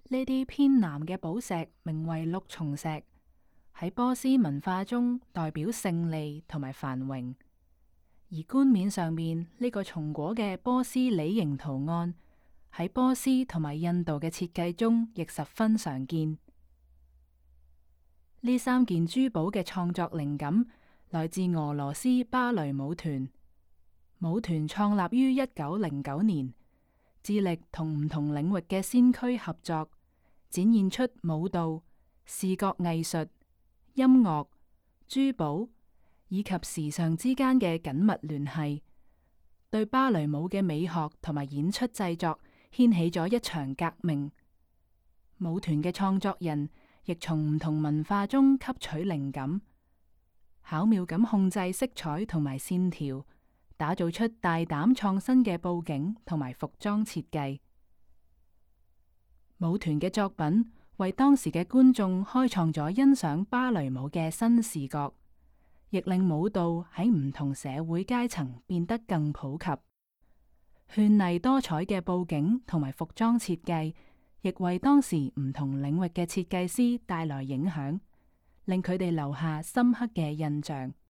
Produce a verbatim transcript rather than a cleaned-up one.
呢啲偏南嘅寶石名為綠松石，喺波斯文化中代表勝利同埋繁榮。而冠冕上面呢個松果嘅波斯梨形圖案，喺波斯同埋印度嘅設計中亦十分常見。呢三件珠寶嘅創作靈感來自俄羅斯芭蕾舞團。舞團創立於一九零九年，致力同唔同領域嘅先驅合作，展現出舞蹈、視覺藝術、音樂、珠寶以及時尚之間嘅緊密聯繫，對芭蕾舞嘅美學同埋演出製作掀起咗一場革命。舞團嘅創作人亦從唔同文化中吸取靈感，巧妙咁控制色彩同埋線條，打造出大膽創新嘅布景同埋服裝設計。舞團嘅作品為當時嘅觀眾開創咗欣賞芭蕾舞嘅新視覺，亦令舞蹈喺唔同社會階層變得更普及。絢麗多彩嘅布景同埋服裝設計，亦為當時唔同領域嘅設計師帶來影響，令佢哋留下深刻嘅印象。